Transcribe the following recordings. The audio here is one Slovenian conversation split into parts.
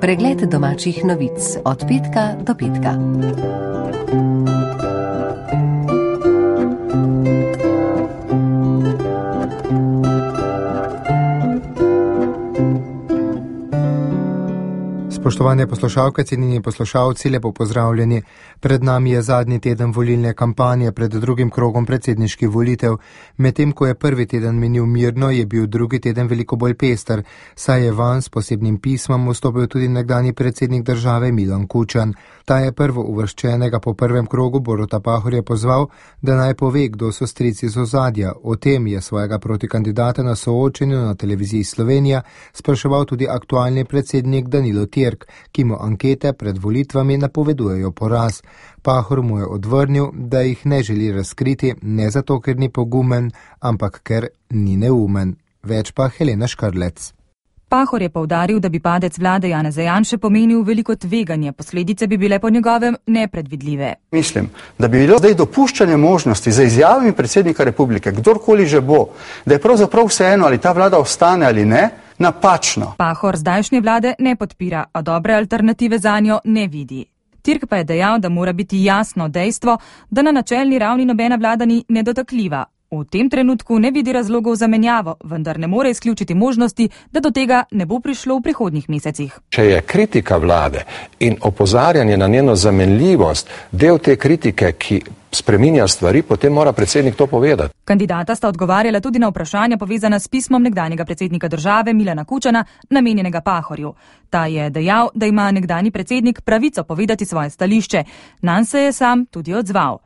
Pregled domačih novic od petka do petka. Spoštovane poslušalke, cenjeni poslušalci, lepo pozdravljeni. Pred nami je zadnji teden volilne kampanje pred drugim krogom predsedniških volitev. Medtem ko je prvi teden minil mirno, je bil drugi teden veliko bolj pester, saj je vanj s posebnim pismom vstopil tudi nekdanji predsednik države Milan Kučan. Ta je prvo uvrščenega po prvem krogu Boruta Pahorja pozval, da naj pove, kdo so strici iz ozadja. O tem je svojega protikandidata na soočenju na televiziji Slovenija spraševal tudi aktualni predsednik Danilo Tirk, ki mu ankete pred volitvami napovedujejo poraz. Pahor mu je odvrnil, da jih ne želi razkriti, ne zato, ker ni pogumen, ampak ker ni neumen. Več pa Helena Škrlec. Pahor je poudaril, da bi padec vlade Janeza Janše pomenil veliko tveganje, posledice bi bile po njegovem nepredvidljive. Mislim, da bi bilo zdaj dopuščanje možnosti za izjavami predsednika republike, kdorkoli že bo, da je pravzaprav vseeno, ali ta vlada ostane ali ne, napačno. Pahor zdajšnje vlade ne podpira, a dobre alternative zanjo ne vidi. Tirk pa je dejal, da mora biti jasno dejstvo, da na načelni ravni nobena vlada ni nedotakljiva. V tem trenutku ne vidi razlogov za menjavo, vendar ne more izključiti možnosti, da do tega ne bo prišlo v prihodnjih mesecih. Če je kritika vlade in opozarjanje na njeno zamenljivost del te kritike, ki spreminja stvari, potem mora predsednik to povedati. Kandidata sta odgovarjala tudi na vprašanja povezana s pismom nekdanjega predsednika države Milana Kučana, namenjenega Pahorju. Ta je dejal, da ima nekdanji predsednik pravico povedati svoje stališče. Nanj se je sam tudi odzval.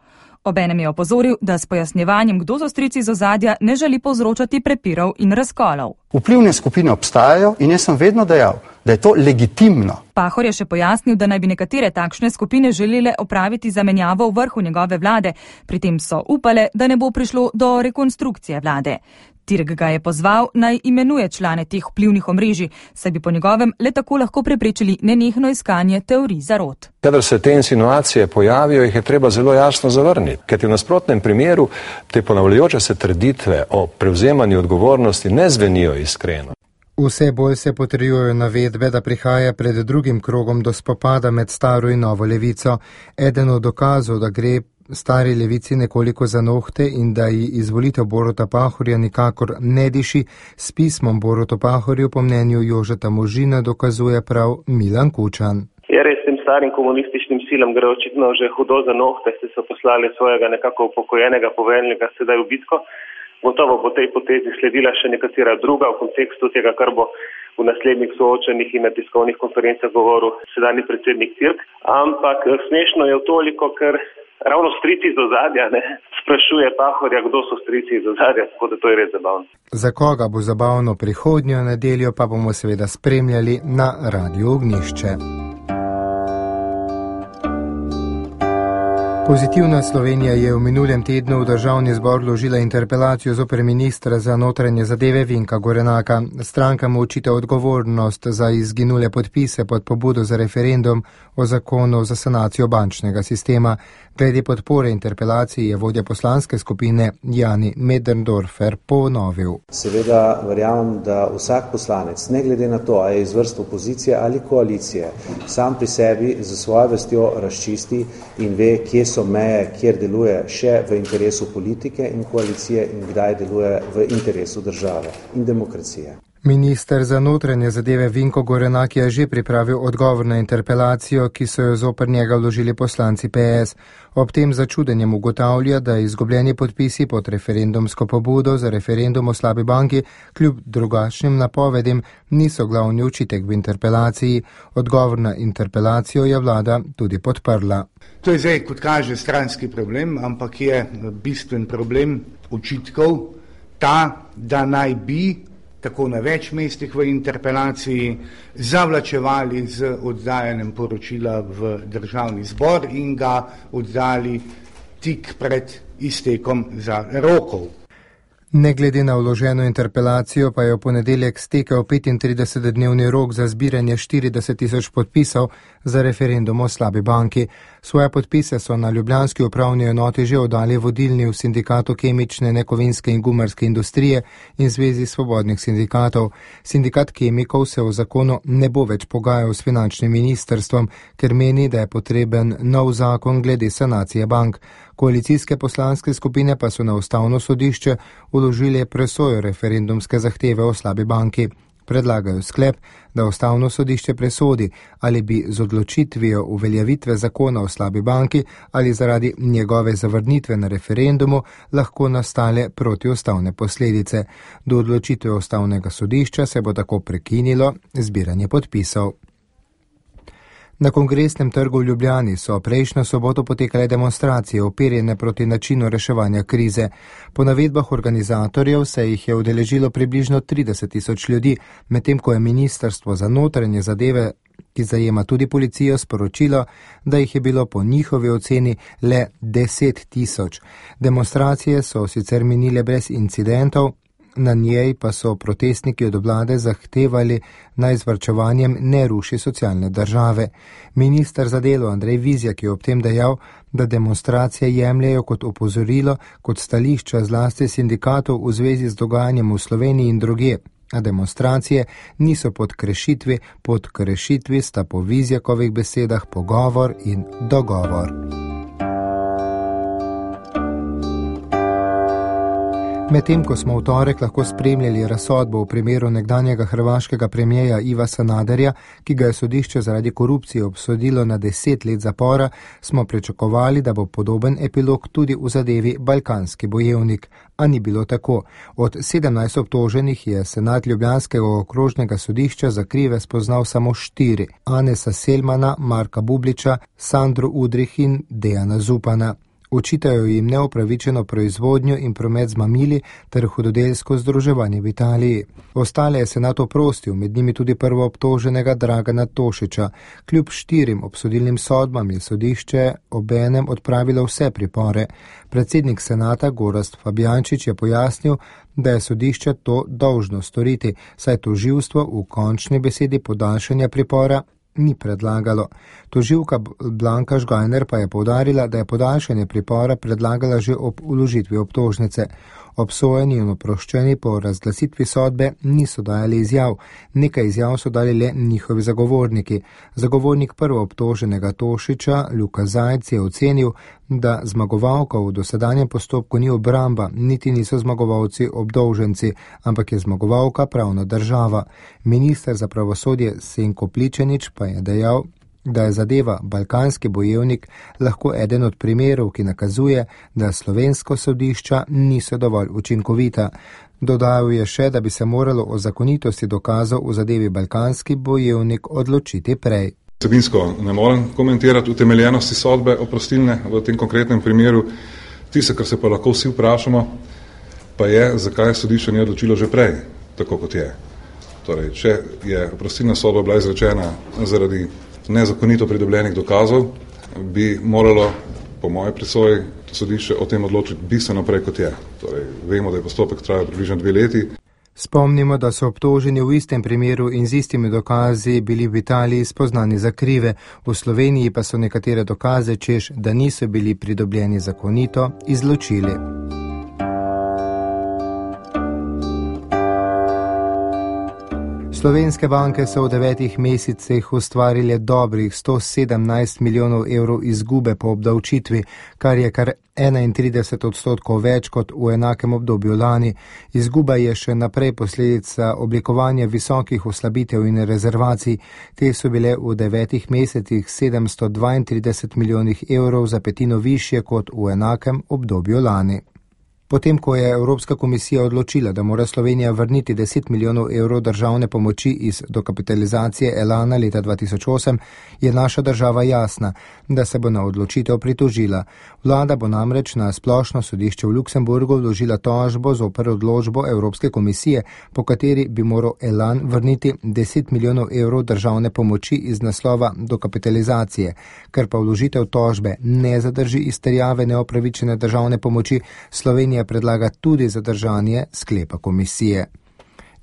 Obenem je opozoril, da s pojasnjevanjem, kdo so strici iz ozadja, ne želi povzročati prepirov in razkolov. Vplivne skupine obstajajo in jaz sem vedno dejal, da je to legitimno. Pahor je še pojasnil, da naj bi nekatere takšne skupine želele opraviti zamenjavo v vrhu njegove vlade, pri tem so upale, da ne bo prišlo do rekonstrukcije vlade. Tirk ga je pozval, naj imenuje člane teh vplivnih omrežij, saj bi po njegovem le tako lahko preprečili nenehno iskanje teorij zarot. Kadar se te insinuacije pojavijo, jih je treba zelo jasno zavrniti, ker v nasprotnem primeru te ponavljajoče se trditve o prevzemanju odgovornosti ne zvenijo iskreno. Vse bolj se potrjujejo navedbe, da prihaja pred drugim krogom do spopada med staro in novo levico. Eden od dokazov, da gre stari levici nekoliko za nohte in da ji izvolitev Boruta Pahorja nikakor ne diši, s pismom Borutu Pahorju po mnenju Jožeta Možina dokazuje prav Milan Kučan. Je res tem starim komunističnim silam gre očitno že hudo za nohte, se so poslali svojega nekako upokojenega poveljnika sedaj v bitko. Gotovo bo tej potezi sledila še nekatera druga v kontekstu tega, kar bo v naslednjih soočenjih in na tiskovnih konferencah govoril sedanji predsednik Tirk. Ampak smešno je toliko, ker ravno strici iz ozadja sprašuje Pahorja, kdo so strici iz ozadja, tako da to je res zabavno. Za koga bo zabavno prihodnjo nedeljo, pa bomo seveda spremljali na Radiu Ognjišče. Pozitivna Slovenija je v minulem tednu v državni zbor vložila interpelacijo zoper ministra za notranje zadeve Vinka Gorenaka. Stranka mu očita odgovornost za izginule podpise pod pobudo za referendum o zakonu za sanacijo bančnega sistema. Glede podpore interpelaciji je vodja poslanske skupine Jani Möderndorfer ponovil. Seveda verjamem, da vsak poslanec, ne glede na to, ali je iz vrst opozicije ali koalicije, sam pri sebi za svojo vestjo razčisti in ve, kje so meje, kjer deluje še v interesu politike in koalicije in kdaj deluje v interesu države in demokracije. Minister za notranje zadeve Vinko Gorenak je že pripravil odgovor na interpelacijo, ki so jo zoper njega vložili poslanci PS. Ob tem začudenjem ugotavlja, da izgubljeni podpisi pod referendumsko pobudo za referendum o slabi banki kljub drugačnim napovedim niso glavni očitek v interpelaciji. Odgovor na interpelacijo je vlada tudi podprla. To je zdaj, kot kaže, stranski problem, ampak je bistven problem očitkov ta, da naj bi tako na več mestih v interpelaciji zavlačevali z oddajanjem poročila v državni zbor in ga oddali tik pred iztekom za rokov. Ne glede na vloženo interpelacijo pa je v ponedeljek stekel 35-dnevni rok za zbiranje 40 000 podpisov za referendum o slabi banki. Svoje podpise so na ljubljanski upravni enoti že oddali vodilni v sindikatu kemične, nekovinske in gumarske industrije in Zvezi svobodnih sindikatov. Sindikat kemikov se v zakonu ne bo več pogajal s finančnim ministrstvom, ker meni, da je potreben nov zakon glede sanacije bank. Koalicijske poslanske skupine pa so na ustavno sodišče vložile presojo referendumske zahteve o slabi banki. Predlagajo sklep, da ustavno sodišče presodi, ali bi z odločitvijo uveljavitve zakona o slabi banki ali zaradi njegove zavrnitve na referendumu lahko nastale protiustavne posledice. Do odločitve ustavnega sodišča se bo tako prekinilo zbiranje podpisov. Na Kongresnem trgu v Ljubljani so prejšnjo soboto potekale demonstracije uperjene proti načinu reševanja krize. Po navedbah organizatorjev se jih je udeležilo približno 30.000 ljudi, medtem ko je Ministrstvo za notranje zadeve, ki zajema tudi policijo, sporočilo, da jih je bilo po njihovi oceni le 10.000. Demonstracije so sicer minile brez incidentov, na njej pa so protestniki od vlade zahtevali, naj z varčevanjem ne ruši socialne države. Minister za delo Andrej Vizjak je ob tem dejal, da demonstracije jemljajo kot opozorilo, kot stališča zlasti sindikatov v zvezi z dogajanjem v Sloveniji in drugje, a demonstracije niso pod krešitvi sta po Vizjakovih besedah pogovor in dogovor. Medtem ko smo v torek lahko spremljali razsodbo v primeru nekdanjega hrvaškega premijeja Iva Sanaderja, ki ga je sodišče zaradi korupcije obsodilo na 10 let zapora, smo pričakovali, da bo podoben epilog tudi v zadevi Balkanski bojevnik. A ni bilo tako. Od 17 obtoženih je senat ljubljanskega okrožnega sodišča za krive spoznal samo 4. Anesa Selmana, Marka Bubliča, Sandro Udrih in Dejana Zupana. Očitajo jim neopravičeno proizvodnjo in promet z mamili ter hudodelsko združevanje v Italiji. Ostale je senat oprostil, med njimi tudi prvoobtoženega Dragana Tošića. Kljub 4 obsodilnim sodbam je sodišče obenem odpravilo vse pripore. Predsednik senata Gorazd Fabjančič je pojasnil, da je sodišče to dolžno storiti, saj tožilstvo v končni besedi podaljšanja pripora ni predlagalo. Tožilka Blanka Žgajner pa je poudarila, da je podaljšanje pripora predlagala že ob vložitvi obtožnice. Obsojeni in oproščeni po razglasitvi sodbe niso dajali izjav. Nekaj izjav so dali le njihovi zagovorniki. Zagovornik prvoobtoženega Tošića, Luka Zajc, je ocenil, da zmagovalka v dosedanjem postopku ni obramba, niti niso zmagovalci obdolženci, ampak je zmagovalka pravna država. Minister za pravosodje Senko Pličanič pa je dejal, da je zadeva Balkanski bojevnik lahko eden od primerov, ki nakazuje, da slovensko sodišča niso dovolj učinkovita. Dodal je še, da bi se moralo o zakonitosti dokazov v zadevi Balkanski bojevnik odločiti prej. Vsebinsko ne morem komentirati utemeljenosti sodbe oprostilne v tem konkretnem primeru. Tisto, kar se pa lahko vsi vprašamo, pa je, zakaj sodišče ni odločilo že prej, tako kot je. Torej, če je oprostilna sodba bila izrečena zaradi nezakonito pridobljenih dokazov, bi moralo, po moje presoji, sodišče o tem odločiti bistveno prej, kot je. Torej, vemo, da je postopek trajal približno 2 leti. Spomnimo, da so obtoženi v istem primeru in z istimi dokazi bili v Italiji spoznani za krive, v Sloveniji pa so nekatere dokaze, češ, da niso bili pridobljeni zakonito, izločili. Slovenske banke so v 9 mesecih ustvarile dobrih 117 milijonov evrov izgube po obdavčitvi, kar je kar 31% več kot v enakem obdobju lani. Izguba je še naprej posledica oblikovanja visokih oslabitev in rezervacij. Te so bile v 9 mesecih 732 milijonih evrov, za petino višje kot v enakem obdobju lani. Potem, ko je Evropska komisija odločila, da mora Slovenija vrniti 10 milijonov evrov državne pomoči iz dokapitalizacije Elana leta 2008, je naša država jasna, da se bo na odločitev pritožila. Vlada bo namreč na splošno sodišče v Luksemburgu vložila tožbo zoper odločbo Evropske komisije, po kateri bi moral Elan vrniti 10 milijonov evrov državne pomoči iz naslova dokapitalizacije. Ker pa vložitev tožbe ne zadrži izterjave neopravičene državne pomoči, Slovenija predlaga tudi zadržanje sklepa komisije.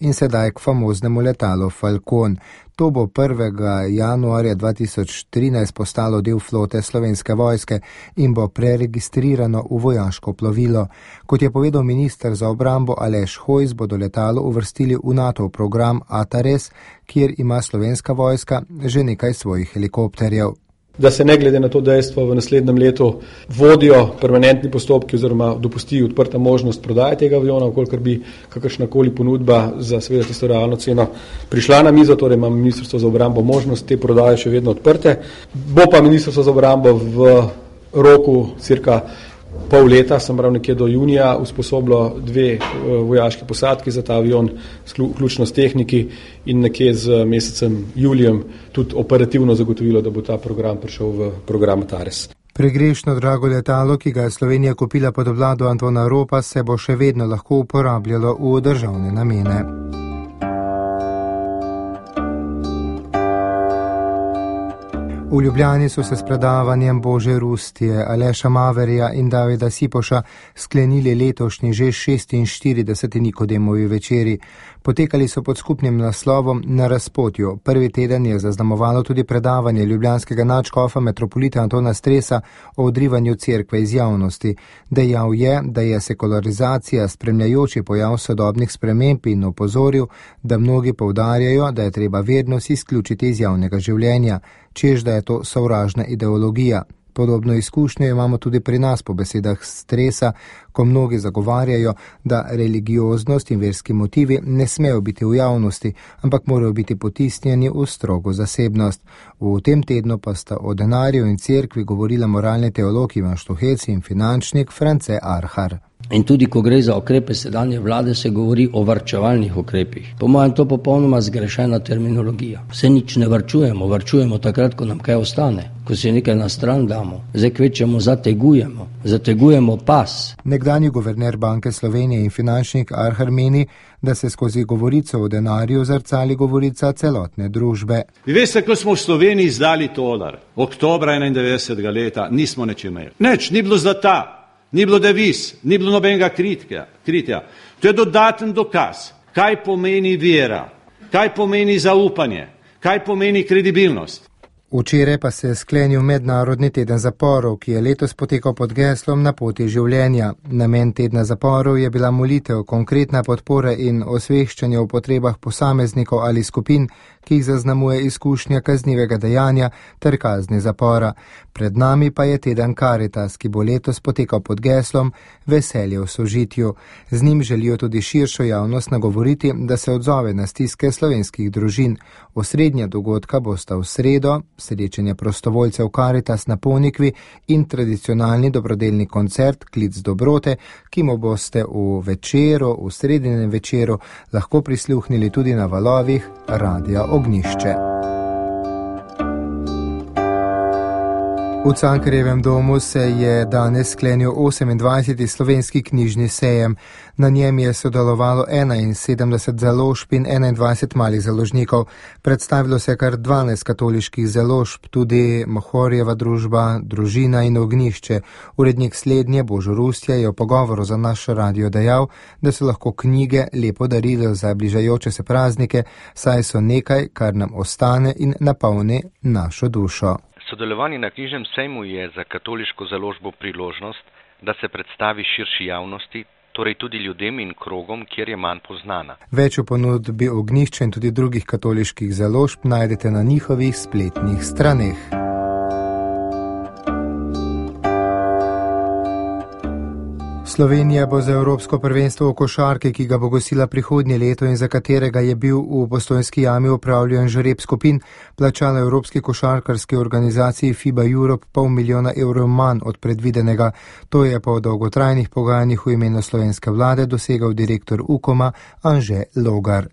In sedaj k famoznemu letalu Falcon. To bo 1. januarja 2013 postalo del flote Slovenske vojske in bo preregistrirano v vojaško plovilo. Kot je povedal minister za obrambo Aleš Hojs, bodo letalo uvrstili v NATO program ATARES, kjer ima Slovenska vojska že nekaj svojih helikopterjev. Da se ne glede na to dejstvo v naslednjem letu vodijo permanentni postopki oziroma dopusti odprta možnost prodaje tega aviona, ukolikor bi kakršnakoli ponudba za seveda tisto realno ceno prišla na mizo, torej ima Ministrstvo za obrambo možnost te prodaje še vedno odprte. Bo pa Ministrstvo za obrambo v roku cirka pol leta, sem prav nekje do junija, usposobilo 2 vojaški posadki za ta avion, vključno s tehniki in nekje z mesecem julijem tudi operativno zagotovilo, da bo ta program prišel v program ATARES. Pregrešno drago letalo, ki ga je Slovenija kupila pod vlado Antona Ropa, se bo še vedno lahko uporabljalo v državne namene. V Ljubljani so se s predavanjem Bože Rustije, Aleša Maverja in Davida Sipoša sklenili letošnji že 46. Nikodemovi večeri. Potekali so pod skupnim naslovom Na razpotju. Prvi teden je zaznamovalo tudi predavanje ljubljanskega nadškofa metropolita Antona Stresa o odrivanju cerkve iz javnosti. Dejal je, da je sekularizacija spremljajoči pojav sodobnih sprememb in opozoril, da mnogi poudarjajo, da je treba vernost izključiti iz javnega življenja, čež da je to sovražna ideologija. Podobno izkušnjo imamo tudi pri nas po besedah Stresa, ko mnogi zagovarjajo, da religioznost in verski motivi ne smejo biti v javnosti, ampak morajo biti potisnjeni v strogo zasebnost. V tem tednu pa sta o denarju in cerkvi govorila moralni teolog Ivan Štuhec in finančnik France Arhar. In tudi, ko gre za ukrepe sedanje vlade, se govori o varčevalnih ukrepih. Po mojem, to popolnoma zgrešena terminologija. Vse nič ne varčujemo, varčujemo takrat, ko nam kaj ostane, ko si nekaj na stran damo. Zdaj kvečemo zategujemo pas. Nekdanji guverner Banke Slovenije in finančnik Arhar meni, da se skozi govorico o denarju zrcali govorica celotne družbe. Vi veste, ko smo v Sloveniji izdali tolar, oktobra 91. leta, nismo nič imeli. Nič, ni bilo zlata. Ni bilo deviz, ni bilo nobenega kritja. To je dodaten dokaz, kaj pomeni vera, kaj pomeni zaupanje, kaj pomeni kredibilnost. Včeraj pa se je sklenil mednarodni teden zaporov, ki je letos potekal pod geslom Na poti življenja. Namen tedna zaporov je bila molitev, konkretna podpora in osveščanje o potrebah posameznikov ali skupin, ki jih zaznamuje izkušnja kaznivega dejanja ter kazni zapora. Pred nami pa je teden Karitas, ki bo letos potekal pod geslom Veselje v sožitju. Z njim želijo tudi širšo javnost nagovoriti, da se odzove na stiske slovenskih družin. Osrednja dogodka bosta v sredo, srečanje prostovoljcev Karitas na Ponikvi in tradicionalni dobrodelni koncert Klic dobrote, ki mu boste v sredinem večeru lahko prisluhnili tudi na valovih Radia Ognjišče. V Cankarjevem domu se je danes sklenil 28. slovenski knjižni sejem. Na njem je sodelovalo 71 založb in 21 malih založnikov. Predstavilo se kar 12 katoliških založb, tudi Mohorjeva družba, Družina in Ognjišče. Urednik slednje Božo Rustja je v pogovoru za naš radio dejal, da so lahko knjige lepo darilo za bližajoče se praznike, saj so nekaj, kar nam ostane in napolni našo dušo. Sodelovanje na knjižnem sejmu je za katoliško založbo priložnost, da se predstavi širši javnosti, torej tudi ljudem in krogom, kjer je manj poznana. Več o ponudbi Ognjišča in tudi drugih katoliških založb najdete na njihovih spletnih straneh. Slovenija bo za Evropsko prvenstvo v košarki, ki ga bo gostila prihodnje leto in za katerega je bil v Postojnski jami opravljen žreb skupin, plačala Evropski košarkarski organizaciji FIBA Europe $500 000 manj od predvidenega. To je po dolgotrajnih pogajanjih v imenu slovenske vlade dosegal direktor UKOM-a Anže Logar.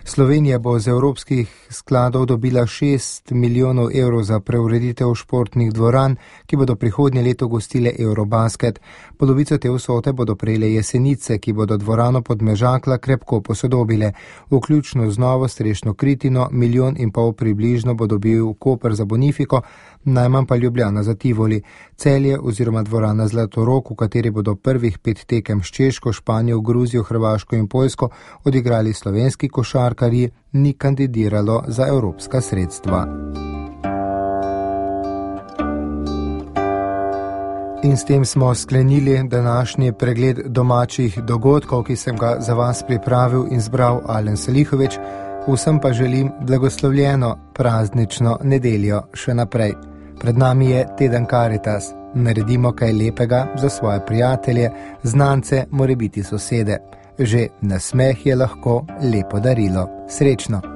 Slovenija bo z evropskih skladov dobila 6 milijonov evrov za preureditev športnih dvoran, ki bodo prihodnje leto gostile Eurobasket. Polovico te vsote bodo prejele Jesenice, ki bodo dvorano Podmežakla krepko posodobile. Vključno z novo strešno kritino, 1,5 milijona približno bo dobil Koper za Bonifiko, najmanj pa Ljubljana za Tivoli. Celje oziroma dvorana Zlatorog, v kateri bodo prvih 5 tekem s Češko, Španijo, Gruzijo, Hrvaško in Poljsko odigrali slovenski košarkarji, ni kandidiralo za evropska sredstva. In s tem smo sklenili današnji pregled domačih dogodkov, ki sem ga za vas pripravil in zbral Alen Salihovič. Vsem pa želim blagoslovljeno praznično nedeljo še naprej. Pred nami je teden Karitas. Naredimo kaj lepega za svoje prijatelje, znance, morebiti sosede. Že nasmeh je lahko lepo darilo. Srečno!